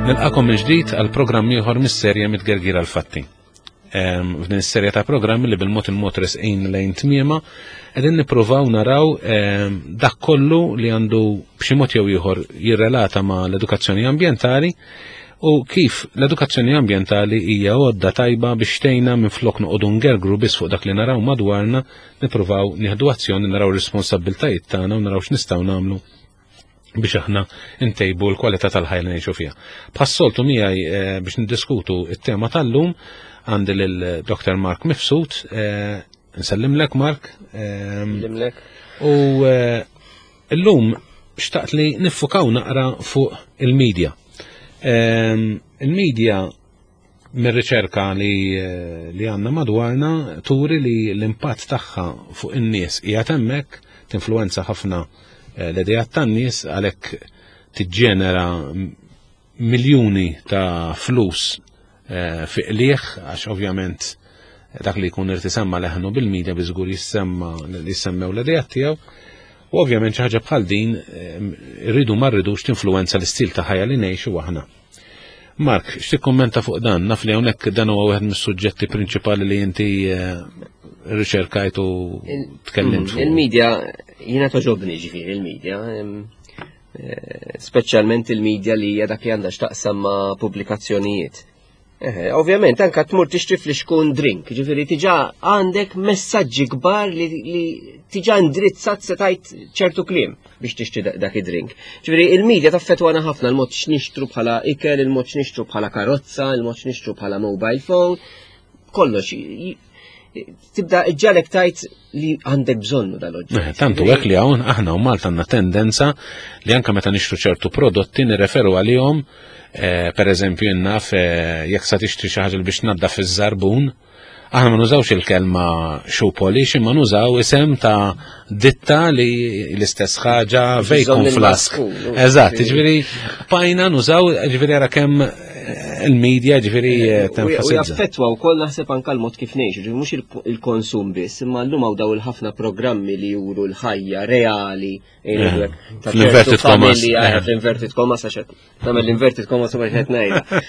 Nilqakom minn ġdid għal programm ieħor mis-serje Mitgergir għal fatti. F'din is-serje ta' programmi li bil-mod il-mod resqin lejn tmiema, qegħdin nippruvaw naraw dak kollu li għandu b'xi mod jew ieħor jirrelata ma' l-edukazzjoni ambjentali u kif l-edukazzjoni ambjentali hija għodda tajba biex tgħinna minflok noqogħdu ngergru biss fuq dak li naraw madwarna, nippruvaw nieħdu azzjoni, naraw ir-responsabbiltajiet tagħna u naraw x'nistgħu nagħmlu biex aħna ntejbu l-kwalità tal-ħajja li ngħixu fiha. Bħas-soltu miegħi eh, biex niddiskutu it-tema tal-lum għandi lil Dr. Mark Mifsud, eh, nsellimlek Mark. Eh, nsellimlek. U illum xtaqt li niffukaw naqra fuq il-medja. Il-medja mir-riċerka li, li għandna madwarna turi li l-impatt tagħha fuq in-nies qiegħed hemmhekk, tinfluwenza ħafna eh, l-idejat tan-nies għalhekk tiġġenera miljuni ta' flus eh, fi qliegħ għax ovvjament dak li jkun irid isemma leħnu bil-medja biżgur jissemma li jissemmew l-idejat tiegħu. U ovvjament xi ħaġa bħal din eh, rridu ma rridux tinfluwenza l-istil ta' ħajja li ngħixu aħna. Mark, x'tikkummenta fuq dan? Naf li hawnhekk dan huwa wieħed mis-suġġetti prinċipali li inti eh, riċerkajt u tkellimt fuq. Il-medja jiena toġobni ġifieri il-medja, eh, speċjalment il-medja li hija dak li għandha x'taqsam ma' pubblikazzjonijiet. Eh, ovvjament, anka tmur tixtri flixkun drink, ġifiri tiġa għandek messaġġi kbar li, li tiġa indirizzat se tajt ċertu kliem biex tixtri dak id-drink. Ġifiri, il-medja taffetwana ħafna l-mod x'nixtru bħala ikel, il-mod x'nixtru bħala karozza, il-mod x'nixtru bħala mobile phone, kollox. Tibda iġġalek tajt li għandek bżonnu dal-oġġett. Eh, tantu hekk li hawn aħna u Malta għandna tendenza li anke meta nixtru ċertu prodotti nirreferu għalihom Eh, per eżempju, naf eh, jekk sa tixtri xi ħaġa biex naddaf iż-żarbun, aħna ma nużawx il-kelma shoe polish, imma nużaw isem ta' ditta li l-istess ħaġa vacuum flask. Eżatt, ġifieri pajna nużaw, ġifieri ara kemm eh, il-media ġifieri tenfasizza. U jaffettwa wkoll naħseb anke l-mod kif ngħixu, ġifieri mhux il-konsum biss, imma llum hawn daw il-ħafna programmi li juru l-ħajja reali Fl-inverted commas. Fl-inverted commas, għax nagħmel l-inverted commas u qed ngħidha.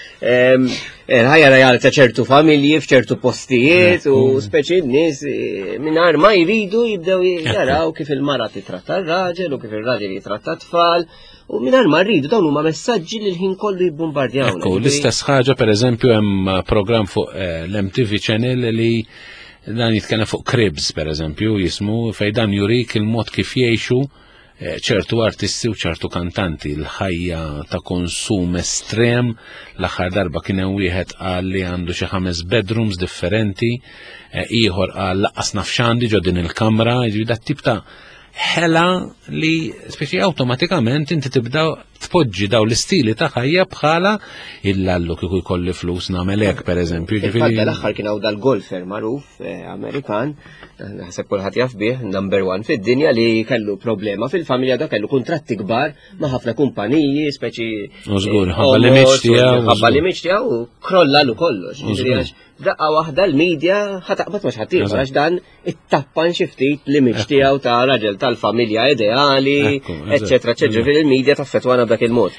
Il-ħajja reali ta' ċertu familji f'ċertu postijiet u speċi n-nies eh, mingħajr ma jridu jibdew jaraw kif il-mara titratta r-raġel u kif ir-raġel jitratta t-tfal. U mingħajr ma rridu dawn huma messaġġi li l-ħin kollu jibbombardjawna. Ekku, l-istess ħaġa pereżempju hemm programm fuq eh, l-MTV Channel li Dan jitkellem fuq cribs, per eżempju, jismu, fej dan jurik il-mod kif jgħixu eh, ċertu artisti u ċertu kantanti, l-ħajja ta' konsum estrem, l-aħħar darba kien hemm wieħed qal li għandu xi ħames bedrooms differenti, eh, ieħor qal laqqas naf x'għandi ġo din il-kamra, jiġifieri dat tip ta' ħela li speċi awtomatikament inti tibda tpoġġi daw l-istili ta' ħajja bħala illallu kieku jkolli flus nagħmel hekk pereżempju. Ġifieri l-aħħar kien hawn dal-golfer magħruf eh, Amerikan, naħseb kulħadd jaf bih, number one fid-dinja li kellu problema fil-familja da kellu kuntratti kbar ma' ħafna kumpaniji, speċi. Użgur, eh, ħabba li miċ tiegħu. Ħabba li miċ tiegħu krollalu kollox. Daqqa waħda l-medja ħataqbad ma xħadd għax dan ittappan xi ftit l-image tiegħu ta' raġel tal-familja ideali, eċetera, eċetera, fil-media taffetwana b'dak il-mod.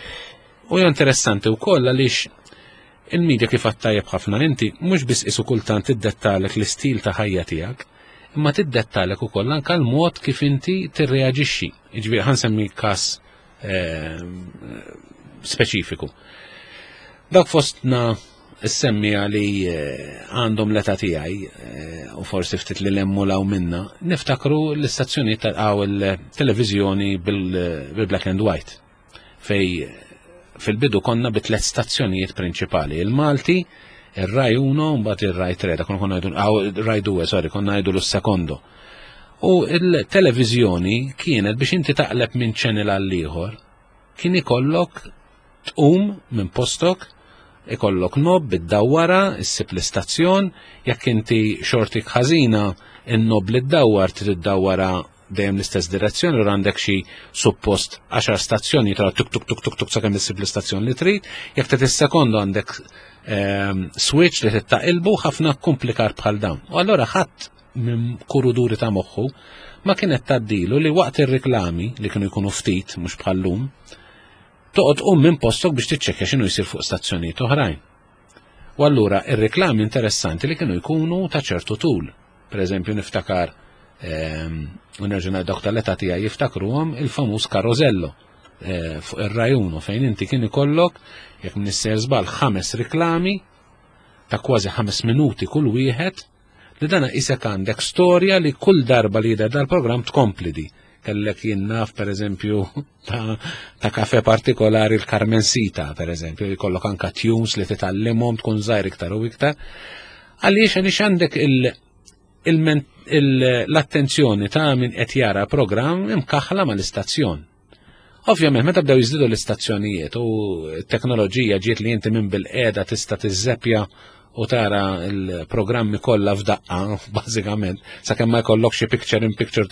U hija interessanti wkoll għaliex il-media kif għattajjeb ħafna inti mhux biss isu kultant tiddettalek l-istil ta' ħajja tiegħek, imma tiddettalek ukoll anke l-mod kif inti tirreaġixxi. Jiġifieri ħansemmi każ eh, speċifiku. Dak fostna s-semmija li eh, għandhom l-età tiegħi eh, u forsi ftit li lemmu law minna, niftakru l-istazzjonijiet tal il-televiżjoni bil-black and white fej fil-bidu konna bi tliet stazzjonijiet prinċipali, il-Malti, il-Rai 1, mbagħad il-Rai 3, konna konna ngħidu Rai 2, sorry, konna ngħidu l-sekondo. U il-televiżjoni kienet biex inti taqleb minn channel għal ieħor, kien ikollok tqum minn postok, ikollok nob bid-dawwara, issib l-istazzjon, jekk inti xortik ħażina, in-nob li ddawwar trid iddawwara dejjem l-istess direzzjoni, u għandek xi suppost 10 stazzjoni tra tuk tuk tuk tuk tuk sakemm issib l-istazzjon li trid, jekk trid is-sekondu għandek ehm, switch li tittaqilbu ħafna komplikar bħal dawn. U allura ħadd minn kuruduri ta' moħħu ma kienet taddilu li waqt ir-riklami li kienu jkunu ftit mhux bħallum. Toqgħod tqum minn postok biex tiċċekkja x'inhu jsir fuq stazzjonijiet oħrajn. U allura ir-riklami interessanti li kienu jkunu ta' ċertu tul. Per eżempju niftakar u nerġa' ngħid dawk tal-età tiegħi jiftakruhom il-famuż Carosello fuq ir-Rai Uno fejn inti kien ikollok jekk m'iniex żball ħames riklami ta' kważi 5 minuti kull wieħed li dana isek għandek storja li kull darba li jidher dal-programm tkompli di. Kellek jien naf per eżempju ta' kafe partikolari l-Carmencita per eżempju, jkollok anka tunes li titgħallimhom tkun żgħir iktar u iktar. Għaliex għaliex għandek l-attenzjoni ta' min qed jara programm imkaħla mal-istazzjon. Ovvjament, meta bdew jiżdiedu l-istazzjonijiet u t-teknoloġija ġiet li inti minn bil-qiegħda tista' tiżżeppja u tara l-programmi kollha f'daqqa, bażikament, sakemm ma jkollok xi picture in picture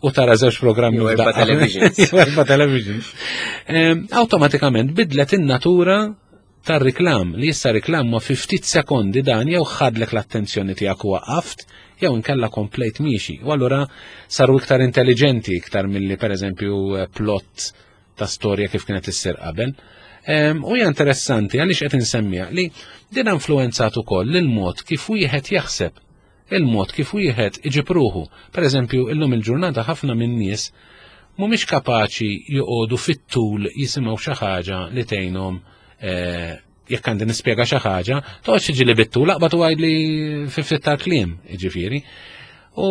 u tara żewġ programmi Jew erba' f'daqqa. televisions. Jew erba' televisions. Awtomatikament bidlet in-natura tar-riklam li issa riklam ma fi ftit sekondi dan jew ħadlek l-attenzjoni tiegħek u waqaft jew inkella komplejt miexi. U allura saru iktar intelligenti iktar milli pereżempju plot ta' storja kif kienet issir qabel. U hija interessanti għaliex qed insemmija li din influenzat ukoll il-mod kif wieħed jaħseb, il-mod kif wieħed iġib ruħu. Per eżempju, illum il-ġurnata ħafna minn nies mhumiex kapaċi joqogħdu fit-tul jisimgħu xi ħaġa li tgħinhom jekk għandi nispjega xi ħaġa, toqgħodx tiġi li bit-tul aqbad u għidli fi ftit tal-kliem, jiġifieri. U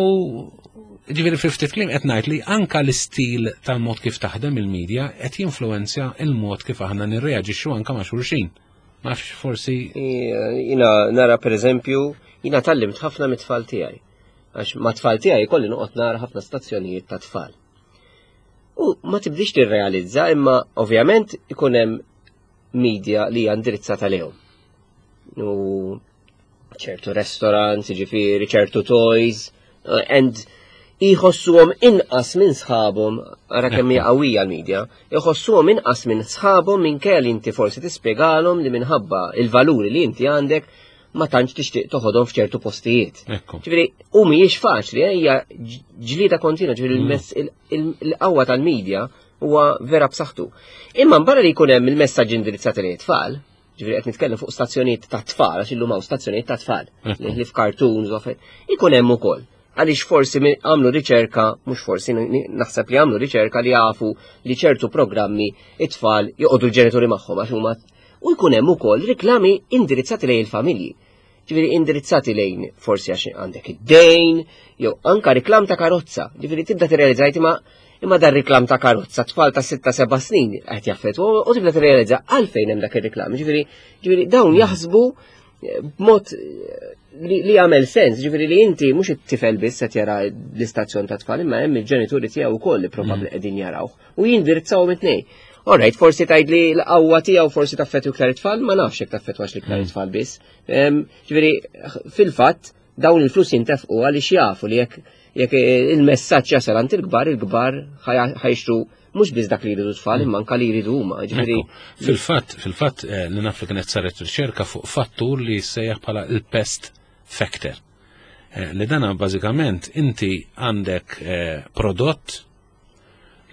ġifieri fi ftit kliem qed ngħid li anka l-istil tal-mod kif taħdem il-medja qed jinfluwenzja il-mod kif aħna nirreaġixxu anka ma' xulxin. Ma nafx forsi Jiena nara per eżempju, jiena tgħallimt ħafna mit-tfal tiegħi. Għax ma' tfal tiegħi kolli noqgħod nara ħafna stazzjonijiet ta' tfal. U ma tibdix tirrealizza imma ovvjament ikun hemm media li hija indirizzata lejhom. U ċertu restaurants, ġifieri, ċertu toys, and jħossuhom inqas minn sħabhom, ara kemm hija qawwija l-media, jħossuhom inqas minn sħabhom minkejja li inti forsi tispjegalhom li minħabba il-valuri li inti għandek ma tantx tixtieq toħodhom f'ċertu postijiet. Ġifieri, u mhijiex faċli, hija ġlieda kontinwa, ġifieri il-qawwa tal-media huwa vera b'saħħtu. Imma barra li jkun hemm il-messaġġ indirizzati lejn tfal, ġifieri qed nitkellem fuq stazzjonijiet ta' tfal, għax illum hawn stazzjonijiet ta' tfal, li f'cartoons u affarijiet, ikun hemm ukoll. Għaliex forsi għamlu riċerka, mhux forsi, naħseb li għamlu riċerka li jafu li ċertu programmi it-tfal joqogħdu l-ġenituri magħhom għax huma u jkun hemm ukoll riklami indirizzati lejn il-familji. Ġifieri indirizzati lejn forsi għax għandek id-dejn, jew anka riklam ta' karozza. Ġifieri tibda tirrealizzajt imma dar riklam ta' karozza tfal ta' 6-7 snin qed jaffettwa u tibda tirrealizza għalfejn hemm dak ir-riklam. Ġifieri dawn jaħsbu b'mod li jagħmel sens, ġifieri li inti mhux it-tifel biss qed jara l-istazzjon ta' tfal, imma hemm il-ġenituri tiegħu wkoll li probabbli qegħdin jarawh u jindirizzawhom it-tnejn. Alright, forsi tgħid li l-qawwa tiegħu forsi taffettwa iktar it-tfal, ma nafx jekk taffettwax l-iktar it-tfal biss. Ġifieri fil-fatt dawn il-flus jintefqu għaliex jafu li jekk il-messaġġ jasal għand il-kbar, il-kbar ħa jixtru mhux biss dak li jridu tfal, imma anka li jridu huma. Ġifieri Fil-fatt, li naf li kienet saret riċerka fuq fattur li jissejjaħ bħala il-pest factor. Li dana bażikament inti għandek prodott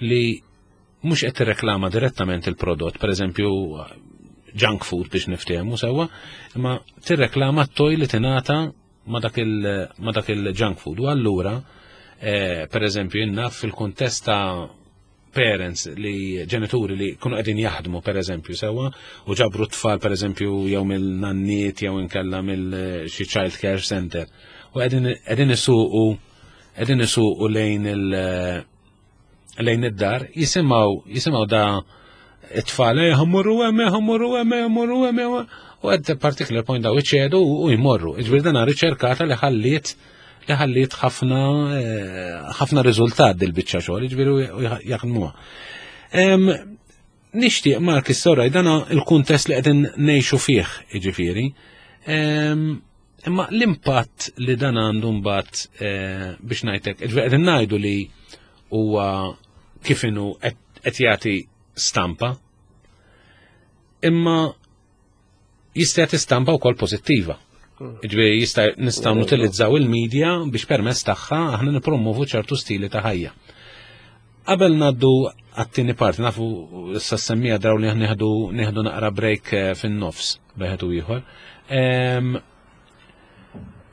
li mhux qed tirreklama direttament il-prodott, per eżempju junk food biex niftehmu sewwa, imma tirreklama t-toy li tingħata ma dak il-junk food. U allura, per eżempju, jien naf fil-kuntest ta' parents li ġenituri li kunu qegħdin jaħdmu per eżempju sewwa u ġabru tfal per eżempju jew mill-nanniet jew inkella mill xi child care center u qegħdin isuqu lejn id-dar jisimgħu da it-tfal ħa mmorru hemm, ħa mmorru hemm, ħa mmorru hemm, u at a particular point daw iċedu u jmorru. Ġifieri dana riċerkata li ħalliet ħafna riżultat dil-biċċa xogħol, ġifieri u jaħdmuha. Nixtieq Mark is-soraj dana il-kuntest li qegħdin ngħixu fih, jiġifieri. Imma l-impatt li dan għandu mbagħad biex ngħidlek, ġifieri qegħdin ngħidu li huwa kif inhu qed jagħti stampa, imma jista' jagħti stampa wkoll pożittiva. Ġifieri jista' nistgħu nutilizzaw il-medja biex permezz tagħha aħna nippromovu ċertu stili ta' ħajja. Qabel ngħaddu għat-tieni parti, nafu issa semmija draw li nieħdu nieħdu naqra break eh, fin-nofs beħed u ieħor.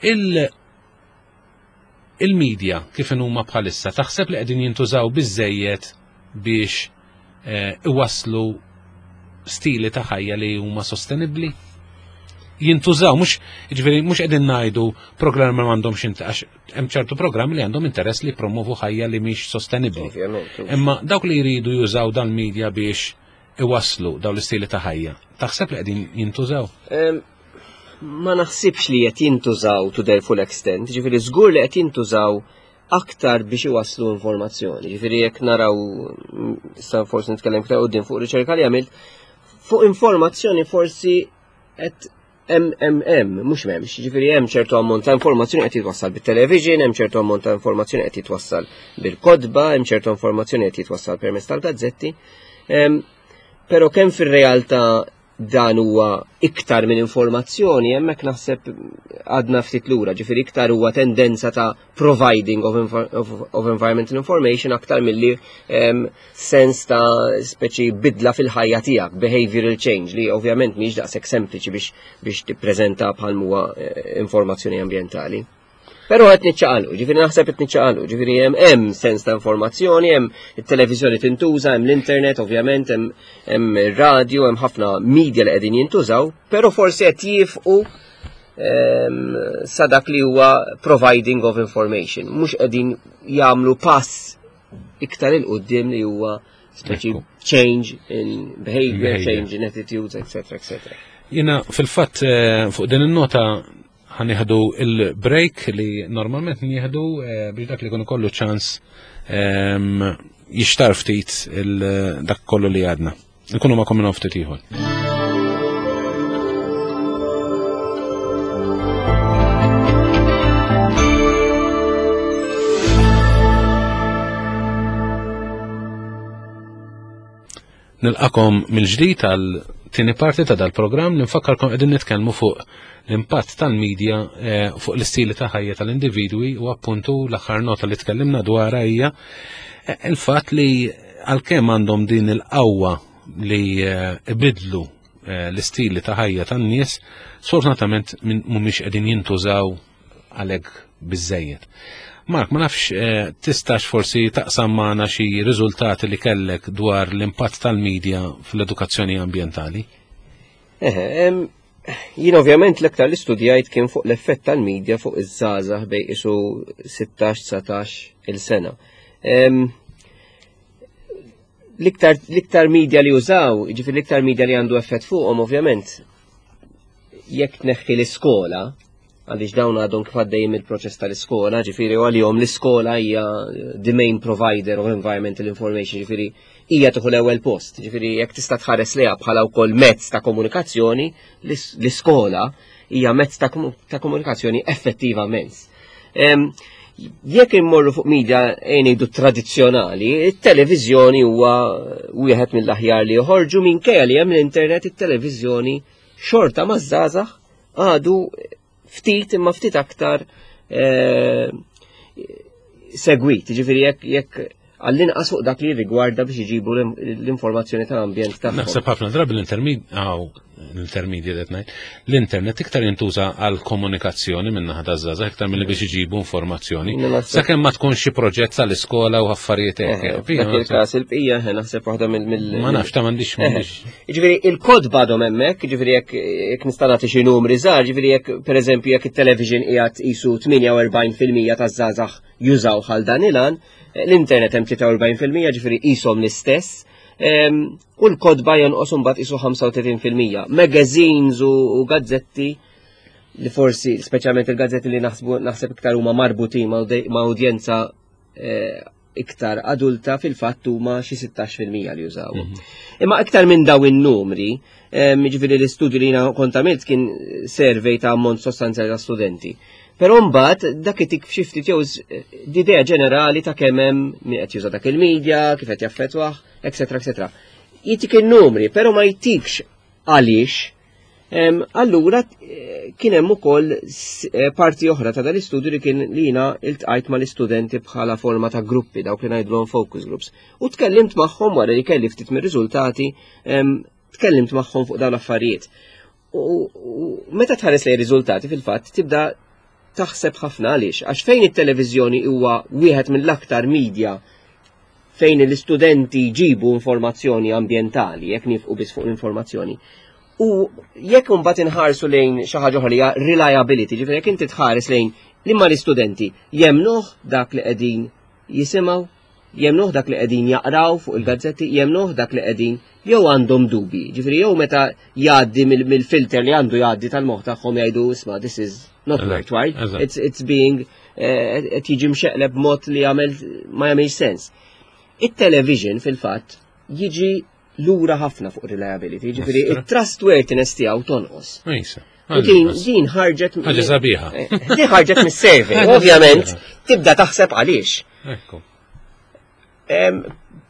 Il il-media kif huma bħalissa taħseb li qegħdin jintużaw biżejjed biex eh, iwasslu stili ta' ħajja li huma sostenibbli? Jintużaw, mhux jiġifieri mhux qegħdin ngħidu programmi ma għandhomx għax hemm ċertu programmi li għandhom interess li jippromovu ħajja li mhix sostenibbli. Imma dawk li jridu jużaw dal-media biex iwasslu dawn l-istili ta' ħajja, taħseb li qegħdin jintużaw? Ma naħsibx li qed jintużaw to their full extent, ġifieri żgur li qed jintużaw aktar biex iwasslu informazzjoni. Ġifieri jekk naraw, sa forsi nitkellem iktar quddiem fuq riċerka li għamilt, fuq informazzjoni forsi qed hemm hemm hemm mhux m'hemmx, ġifieri hemm ċertu ammont ta' informazzjoni qed jitwassal bit-television, hemm ċertu ammont ta' informazzjoni qed jitwassal bil-kodba, hemm ċertu informazzjoni qed jitwassal permezz tal-gazzetti. Però kemm fir-realtà dan huwa iktar minn informazzjoni, hemmhekk naħseb għadna ftit lura, ġifieri iktar huwa tendenza ta' providing of, of, of environmental information aktar milli um, sens ta' speċi bidla fil-ħajja tiegħek, behavioral change, li ovvjament mhix daqshekk sempliċi biex biex tippreżenta bħal huwa eh, informazzjoni ambjentali. Però qed niċċaqalqu, ġifieri naħseb qed niċċaqalqu, ġifieri hemm hemm sens ta' informazzjoni, hemm it-televiżjoni tintuża, hemm l-internet ovvjament, hemm hemm ir-radju, hemm ħafna media li qegħdin jintużaw, però forsi qed jifqu ehm, sa dak li huwa providing of information, mhux qegħdin jagħmlu pass iktar il qudiem li huwa speċi change in behavior, change in attitudes, etc. etc. Jina fil-fatt eh, fuq din in-nota ħanieħdu il-break li normalment nieħdu eh, biex dak li jkun ikollu ċans ehm, jixtar ftit dak kollu li għadna. Nkunu ma' minn ftit ieħor. Nilqakom mill-ġdid għal tieni parti ta' dal-programm li nfakkarkom qegħdin nitkellmu fuq l-impatt tal-medja eh, fuq l-istili ta' ħajja tal-individwi u appuntu l-aħħar nota li tkellimna dwarha hija eh, il-fatt li għalkemm għandhom din il-qawwa li eh, ibidlu l-istili ta' ħajja tan-nies, sfortunatament mhumiex qegħdin jintużaw għalhekk biżejjed. Mark, ma nafx eh, tistax forsi taqsam magħna xi riżultati li kellek dwar l-impatt tal-medja fl-edukazzjoni ambjentali? Eħe, jien ovvjament l-iktar li studjajt kien fuq l-effett tal-medja fuq iż-żgħażagħ bej isu 16-19 il-sena. L-iktar media li użaw, ġifier l-iktar media li għandu effett fuqhom ovvjament, jekk tneħħi l-iskola, għaliex dawn għadhom kif għaddejjin mill-proċess tal-iskola, ġifieri u għalihom l-iskola hija the main provider of environmental information, ġifieri hija tieħu l-ewwel post, ġifieri jekk tista' tħares lejha bħala wkoll mezz ta' komunikazzjoni, l-iskola hija mezz ta' komunikazzjoni effettiva mezz. Jekk immorru fuq media ngħidu tradizzjonali, it-televiżjoni huwa wieħed mill-aħjar li joħorġu minkejja li hemm l-internet it-televiżjoni xorta maż-żgħażagħ għadu ftit imma ftit aktar eh, segwit, ġifieri jekk jekk għall-inqas fuq dak li rigwarda biex iġibu l-informazzjoni tal-ambjent tagħhom. Naħseb ħafna drabi l-intermediate qed ngħid, l-internet iktar jintuża għal komunikazzjoni minn naħa taż-żgħażagħ iktar milli biex iġibu informazzjoni. Sakemm ma tkunx xi proġett tal-iskola u affarijiet hekk. Eh, dak il-każ il-bqija eh, naħseb waħda mill Ma nafx ta' m'għandix m'għandix. Jiġifieri il-kodba għadhom hemmhekk, jiġifieri jekk nista' nagħti xi numri żgħar, jiġifieri jekk pereżempju jekk it-television qiegħed qisu 48% taż-żgħażagħ jużaw għal dan il-għan, l-internet hemm 43% ġifieri qishom l-istess. U l-kodba jonqos imbagħad qisu 35%. Magazines u gazzetti li forsi, speċjalment il-gazzetti li naħsbu naħseb iktar huma marbutin ma' udjenza eh, iktar adulta fil-fatt huma xi 16% li jużaw. Mhm. Imma iktar minn daw in-numri, jiġifieri l-istudju li jiena kont għamilt kien survey ta' ammont sostanzjali ta' studenti. Però mbagħad dak itik f'xi ftit jew idea ġenerali ta' kemm hemm min qed juża dak il-media, kif qed jaffettwah, etc. etc. Jitik in-numri, però ma jtikx għaliex. Allura kien hemm ukoll parti oħra ta' dal-istudju li kien li jiena iltqajt mal-istudenti bħala forma ta' gruppi dawk li ngħidulhom focus groups. U tkellimt magħhom wara li kelli ftit mir-riżultati, tkellimt magħhom fuq dawn l-affarijiet. U meta tħares lejn riżultati fil-fatt tibda taħseb ħafna għaliex, għax fejn it-televiżjoni huwa wieħed mill-aktar media fejn l-istudenti jġibu informazzjoni ambjentali, jekk nifqu biss fuq l-informazzjoni. U jekk imbagħad inħarsu lejn xi ħaġa oħra li hija reliability, ġifieri jekk inti tħares lejn liema l-istudenti jemnuh dak li qegħdin jisimgħu, jemnuh dak li qegħdin jaqraw fuq il-gazzetti, jemnuh dak li qegħdin jew għandhom dubi. Ġifieri jew meta jgħaddi mill-filter li għandu jgħaddi tal-moħħ tagħhom jgħidu isma' this is not right, right? It's being qed jiġi mxeqleb b'mod li jagħmel ma jagħmilx sens. It-television fil-fatt jiġi lura ħafna fuq reliability, ġifieri it-trustworthiness tiegħu tonqos. U din ħarġet. Ħaġa sabiħa. Din ħarġet mis-survey, ovvjament tibda taħseb għaliex. Ekku.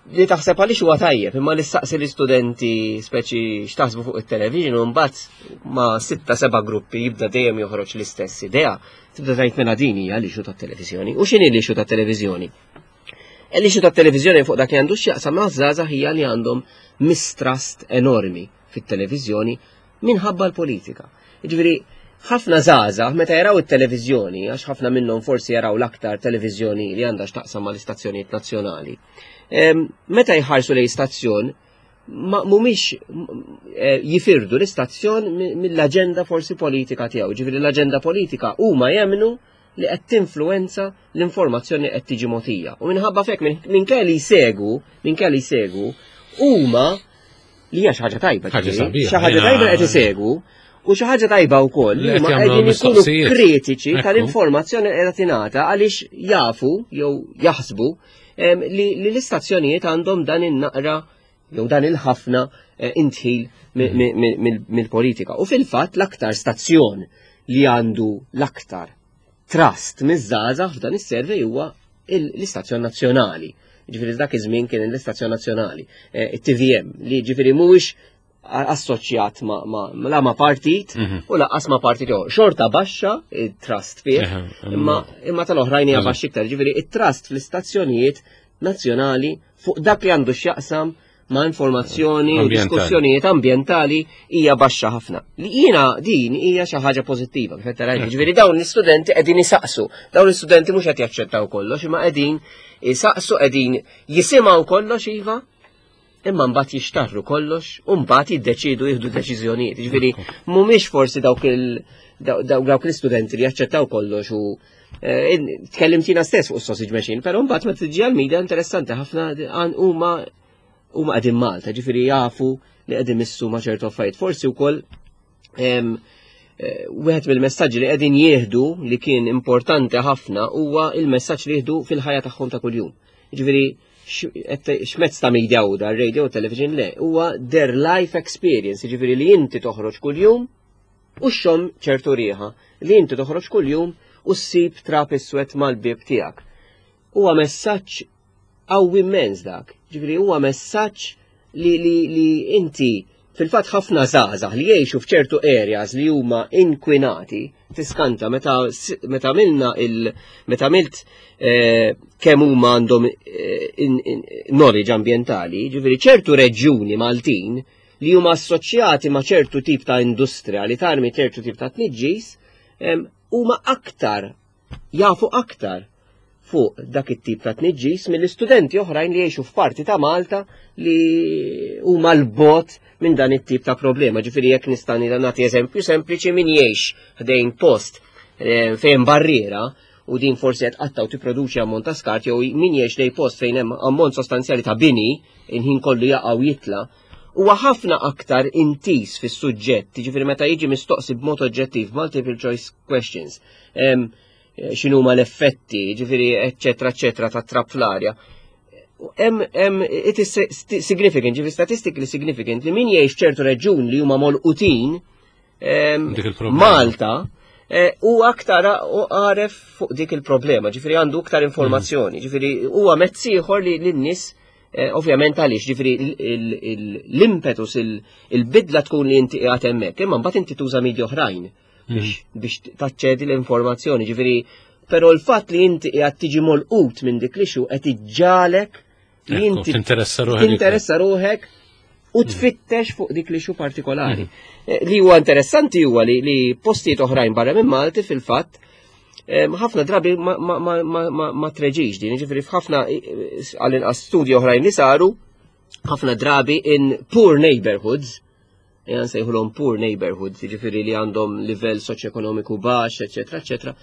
Li taħseb għaliex huwa tajjeb, imma li staqsi l-istudenti speċi x'taħsbu fuq it-television u mbagħad ma' sitta seba' gruppi jibda dejjem joħroġ l-istess idea, tibda tgħid mela din hija l-issue tat-televiżjoni. U x'inhi l-issue tat-televiżjoni? L-issue tat-televiżjoni fuq dak li għandu x'jaqsam ma' żgħażagħ hija li għandhom mistrust enormi fit-televiżjoni minħabba l-politika. Jiġifieri ħafna żgħażagħ meta jaraw it-televiżjoni, għax ħafna minnhom forsi jaraw l-aktar televiżjoni li għandha x'taqsam mal-istazzjonijiet nazzjonali. Meta jħarsu lejn stazzjon, ma mhumiex jifirdu l-istazzjon mill-aġenda forsi politika tiegħu. Ġifieri l-aġenda politika huma jemmnu li qed tinfluwenza l-informazzjoni li qed tiġi mogħtija. U minħabba fek minn kelli jsegu, minn kelli jsegu, huma li hija xi ħaġa tajba, Ħaġa ġifieri, sabiħa, xi ħaġa jiena tajba qed isegwu, u xi ħaġa tajba wkoll Li li qed huma jagħmlu qegħdin ikunu mistoqsijiet. kritiċi tal-informazzjoni li qiegħda tingħata għaliex jafu jew jaħsbu li l-istazzjonijiet għandhom dan in-naqra jew dan il-ħafna intħil mill-politika. U fil-fatt l-aktar stazzjon li għandu l-aktar trust miż-żgħażagħ f'dan is-survey huwa l-istazzjon nazzjonali. Ġifieri dak iż-żmien kien l-istazzjon nazzjonali, it-TVM, li ġifieri mhuwiex assoċjat la ma' partit u lanqas ma' partit ieħor. Xorta baxxa it-trust fih, imma tal-oħrajn hija baxxa iktar. Ġifieri it-trust fl-istazzjonijiet nazzjonali fuq dak li għandu x'jaqsam ma' informazzjoni u Ambjentali. diskussjonijiet ambjentali hija baxxa ħafna. Li jiena din hija xi ħaġa pożittiva, kif qed tara. Ġifieri dawn l-istudenti qegħdin isaqsu. Dawn l-istudenti mhux qed jaċċettaw kollox, imma qegħdin isaqsu, qegħdin jisimgħu kollox iva, imma mbagħad jixtarru kollox u mbagħad jiddeċidu jieħdu deċiżjonijiet. Ġifieri mhumiex forsi dawk l-istudenti li jaċċettaw kollox u tkellimtina stess fuq sausage machine, però mbagħad meta tiġi għall-media interessanti ħafna għan huma qegħdin Malta, ġifieri jafu li qegħdin missu ma' ċertu affarijiet. Forsi wkoll wieħed mill-messaġġi li qegħdin jieħdu li kien importanti ħafna huwa il-messaġġ li jieħdu fil-ħajja tagħhom ta' kuljum. Ġifieri x'mezz ta' media hu dar radio u television le, huwa their life experience, ġifieri li inti toħroġ kuljum u xxomm ċertu riħa, li inti toħroġ kuljum u ssib trab iswed mal-bib tiegħek. Huwa messaġġ qawwi immens dak. Ġifieri huwa messaġġ li inti fil-fatt ħafna żgħażagħ li jgħixu f'ċertu areas li huma inkwinati, tiskanta meta għamilna il-, meta għamilt kemm huma għandhom knowledge ambjentali, ġifieri ċertu reġjuni Maltin li huma assoċjati ma' ċertu tip ta' industrija li tarmi ċertu tip ta' tniġġis, huma aktar jafu aktar fuq dak it-tip ta' tniġġis mill-istudenti oħrajn li jgħixu f'parti ta' Malta li huma l-bot minn dan it-tip ta' problema. Ġifieri jekk nista' nagħti eżempju sempliċi, min jgħix ħdejn post fejn barriera u din forsi qed qatta u tipproduċi ammont ta' skart, jew min jgħix lejn post fejn hemm ammont sostanzjali ta' bini, il-ħin kollu jaqa' u jitla', huwa ħafna aktar intis fis-suġġett, ġifieri meta jiġi mistoqsi b'mod oġġettiv multiple choice questions, x'inhuma l-effetti, ġifieri eċċetera eċċetera ta' trab fl-arja. It is significant, ġifieri statistically significant li min jgħix ċertu reġjun li huma molqutin, Dik il-problema. Malta, u aktar u għaref fuq dik il-problema, ġifieri għandu aktar informazzjoni, ġifieri huwa mezz ieħor li lin-nies Ovvjament għaliex, ġifieri l-impetus, il-bidla tkun li inti qiegħed hemmhekk, imma mbagħad inti tuża media oħrajn biex taċċedi l-informazzjoni, ġifieri però l-fatt li inti qiegħed tiġi molqut minn dik l-issue qed iġġalek li inti tinteressa ruħek. Tinteressa ruħek u tfittex fuq dik l-issue partikolari. Li huwa interessanti huwa li postijiet oħrajn barra minn Malti fil-fatt ħafna drabi ma treġix din, ġifieri f'ħafna għall-inqas studji oħrajn li saru, ħafna drabi in poor neighborhoods, jgħan sejħulhom poor neighborhoods, ġifieri li għandhom livell soċjoekonomiku baxx, eċetera, eċetera,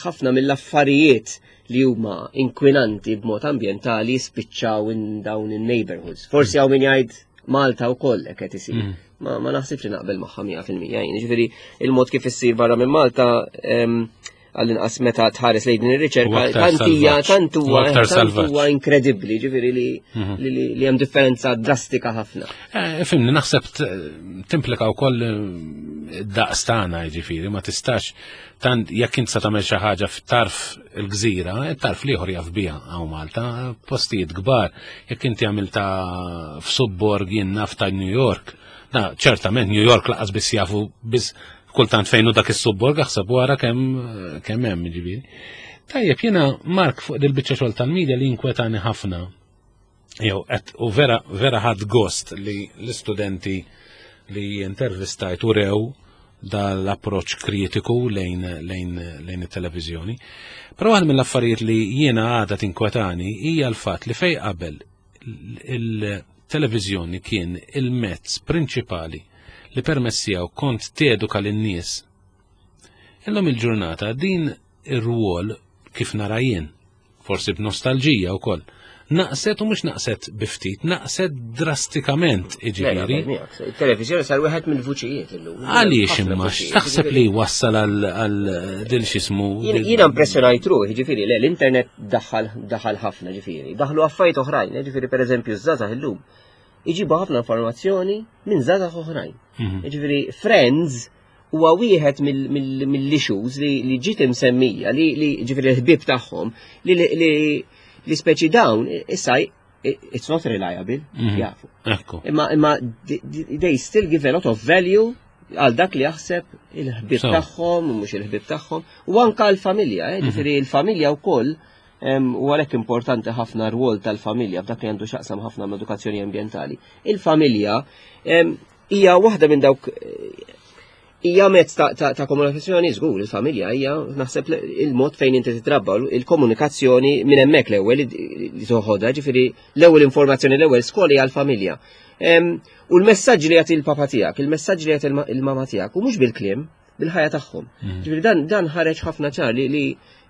ħafna mill-affarijiet li huma inkwinanti b'mod ambjentali spiċċaw in dawn in-neighborhoods. Forsi hawn min jgħid Malta wkoll hekk qed isir. Ma naħsibx li naqbel magħha 100% jien. Ġifieri il-mod kif issir barra minn Malta għall-inqas meta tħares lejn din ir-riċerka U aktar tant hija salvaġġ. tant huwa U aktar tant salvaġġ. huwa inkredibbli, ġifieri li hemm differenza drastika ħafna. Fimni, naħseb timplika wkoll daqs tagħna, ġifieri, ma tistax tant jekk int sa tagħmel xi ħaġa f'tarf il-gżira, tarf l-ieħor jaf biha hawn Malta, postijiet kbar, jekk inti għamilta f'subborg jien naf ta' New York, na ċertament New York laqas biss jafu biss kultant fejn hu dak is-subborg aħseb wara kemm hemm ġifieri. Tajjeb, jiena Mark fuq dil-biċċa xogħol tal-media li inkwetani ħafna. Jew qed u vera vera ħadd gost li l-istudenti li intervistajt u rew dal-approċ kritiku lejn it-televiżjoni. Però waħda mill-affarijiet li jiena għadha tinkwetani hija l-fatt li fej qabel il-televiżjoni kien il-mezz prinċipali li permezz tiegħu kont teduka lin-nies. Illum il-ġurnata din ir-rwol kif nara jien, forsi b'nostalġija wkoll, naqset u mhux naqset biftit, naqset drastikament, jiġifieri. Il-televiżjoni sar wieħed mill-vuċijiet illum. Għaliex Ħafna imma vuċijiet, x'taħseb jiġifieri. li wassal għal dil x'ismu? Jiena impressjonajt ruħi, ġifieri, le, l-internet daħal ħafna, ġifieri. Daħlu affarijiet oħrajn, ġifieri pereżempju ż-żgħażagħ illum. Iġibu ħafna informazzjoni minn żgħażagħ oħrajn. Ġifieri Friends huwa wieħed mill-issues li ġiet imsemmija, li ġifieri l-ħbieb tagħhom, li speċi dawn issa it's not reliable, jafu. Imma they still give a lot of value għal dak li jaħseb il-ħbieb tagħhom, u mhux il-ħbieb tagħhom, u anka l-familja, ġifieri l-familja wkoll, u għalhekk importanti ħafna r-rwol tal-familja f'dak li għandu x'jaqsam ħafna mal-edukazzjoni ambjentali. Il-familja hija waħda minn dawk hija mezz ta' komunikazzjoni żgur, il-familja hija naħseb il-mod fejn inti titrabba, il-komunikazzjoni minn hemmhekk l-ewwel li toħodha, ġifieri l-ewwel informazzjoni l-ewwel skola hija l-familja. U l-messaġġ li jagħti l-papa tiegħek, il-messaġġ li jagħti il-mama tiegħek, u mhux bil-kliem, bil-ħajja tagħhom. Ġifieri dan ħareġ ħafna ċar li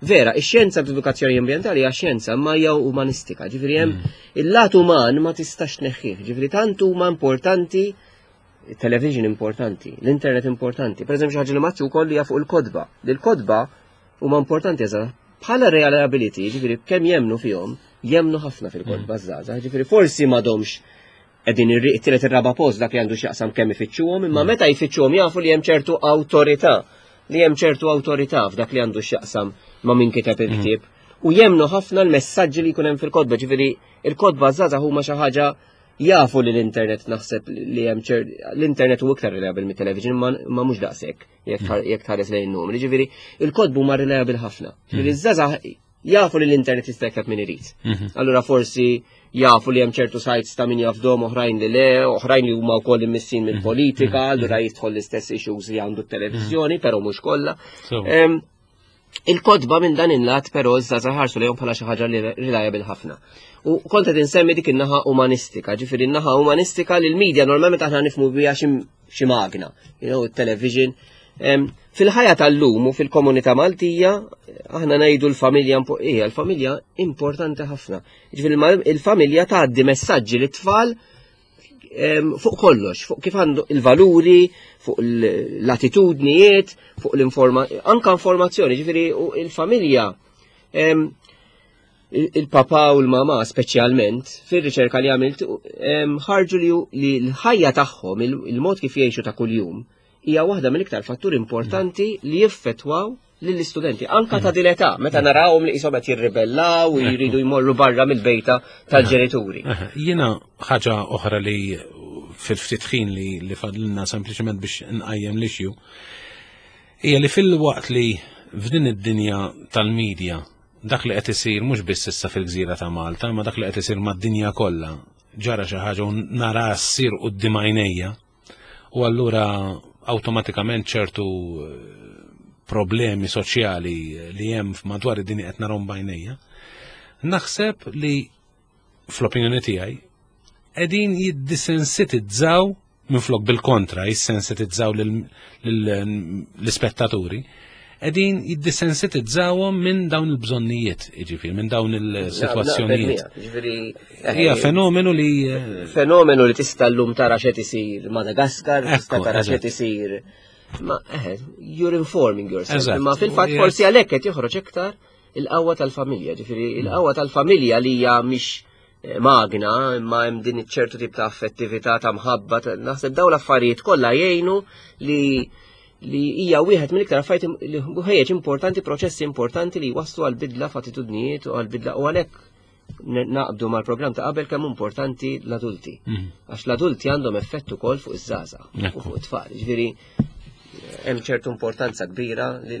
vera, ix-xjenza b'edukazzjoni ambjentali hija xjenza ma hija umanistika, ġifieri hemm il-lat uman ma tistax tneħħih, ġifieri tant huma importanti television importanti, l-internet importanti. Per eżempju, ħaġa li maċċu wkoll hija fuq il-kotba. Il-kotba huma importanti eżatt bħala reliability, ġifieri kemm jemnu fihom, jemnu ħafna fil-kotba żgħażagħ, ġifieri forsi m'għadhomx qegħdin it-tielet ir-raba' post dak li għandu x'jaqsam kemm ifittxuhom, imma meta jfittxuhom jafu li hemm ċertu awtorità, li hemm ċertu awtorità f'dak li għandu x'jaqsam ma' min kiteb il-ktieb. U jemnu ħafna l-messaġġi li jkun hemm fil-kotba, ġifieri il-kotba żgħażagħ huma xi ħaġa jafu li l-internet naħseb li hemm ċer l-internet huwa iktar reliable mit-television ma mhux daqshekk jekk tħares lejn numri. Ġifieri il-kotba huma reliable ħafna. Ġifieri ż-żgħażagħ jafu li l-internet jista' jikteb min irid. Allura forsi jafu li hemm ċertu sites ta' min jafdom oħrajn li le, oħrajn li huma wkoll immissin mill-politika, allura jidħol l-istess issues li għandu t-televiżjoni, però mhux kollha. Il-kotba minn dan il-lat però iż-żgħażagħ ħarsu lejhom bħala xi ħaġa li reliable ħafna. U kont qed insemmi dik in-naħa umanistika, ġifieri n-naħa umanistika li l-media normalment aħna nifhmu biha xi magna, television. Fil-ħajja tal-lum u fil-komunità Maltija aħna ngħidu l-familja hija l-familja importanti ħafna. Ġifieri il-familja tgħaddi messaġġi lit-tfal fuq kollox, fuq kif għandu il-valuri, fuq l-attitudnijiet, fuq anka informazzjoni, ġifieri u il-familja, il-papa u l-mama speċjalment, fir-riċerka li għamilt, ħarġu li l-ħajja tagħhom, il-mod kif jgħixu ta' kuljum, hija waħda mill-iktar fatturi importanti li jiffettwaw lill-istudenti, anka ta' din età, meta narawhom li qishom qed jirribellaw u jridu jmorru barra mill-bejta tal-ġenituri. Jiena ħaġa oħra li fil-ftit ħin li, li fadlilna sempliċement biex nqajjem l-issue, hija li fil-waqt li f'din id-dinja tal-medja dak li qed isir mhux biss issa fil-gżira ta' Malta, ma dak li qed isir mad-dinja kollha ġara xi ħaġa u nara ssir quddiem għajnejja. U allura awtomatikament ċertu eh, problemi soċjali li hemm madwar id-dinja qed narhom b'għajnejja. Naħseb li fl-opinjoni tiegħi qegħdin jiddisensitizzaw minflok bil-kontra jissensitizzaw l-ispettaturi, qegħdin jiddisensitizzawhom minn dawn il-bżonnijiet, jiġifieri minn dawn il-sitwazzjonijiet. Hija fenomenu li eh, fenomenu li tista' llum tara x'qed isir Madagaskar, tista' tara x'qed isir. Ma eh, you're informing yourself. Imma fil-fatt forsi għalhekk qed joħroġ iktar il-qawwa tal-familja, ġifieri il-qawwa tal-familja li hija mhix eh, magna, imma hemm din ċertu tip ta' affettività ta' mħabba, naħseb dawn l-affarijiet kollha jgħinu li li hija wieħed mill-iktar affarijiet li ħejjeġ importanti, proċessi importanti li jwasslu għal bidla f'attitudnijiet u għal bidla u għalhekk naqbdu mal-programm ta' qabel kemm importanti l-adulti. Mhm. Għax l-adulti għandhom effett ukoll fuq iż-żgħażagħ u fuq it-tfal. Ġifieri hemm ċertu importanza kbira li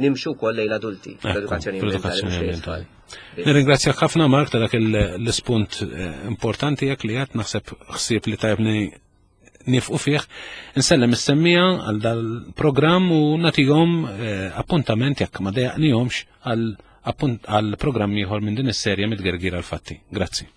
nimxu wkoll lejn l-adulti fl-edukazzjoni ambientali. Nirringrazzjak ħafna Mark ta' dak l-ispunt eh, importanti jekk li qed naħseb ħsieb li tajbni nifqu fih. Insellem is-semmija għal dal-programm u nagħtihom eh, appuntament jekk ma dejaqnihomx għal programm ieħor minn din is-serje mitgergir għal fatti. Grazzi.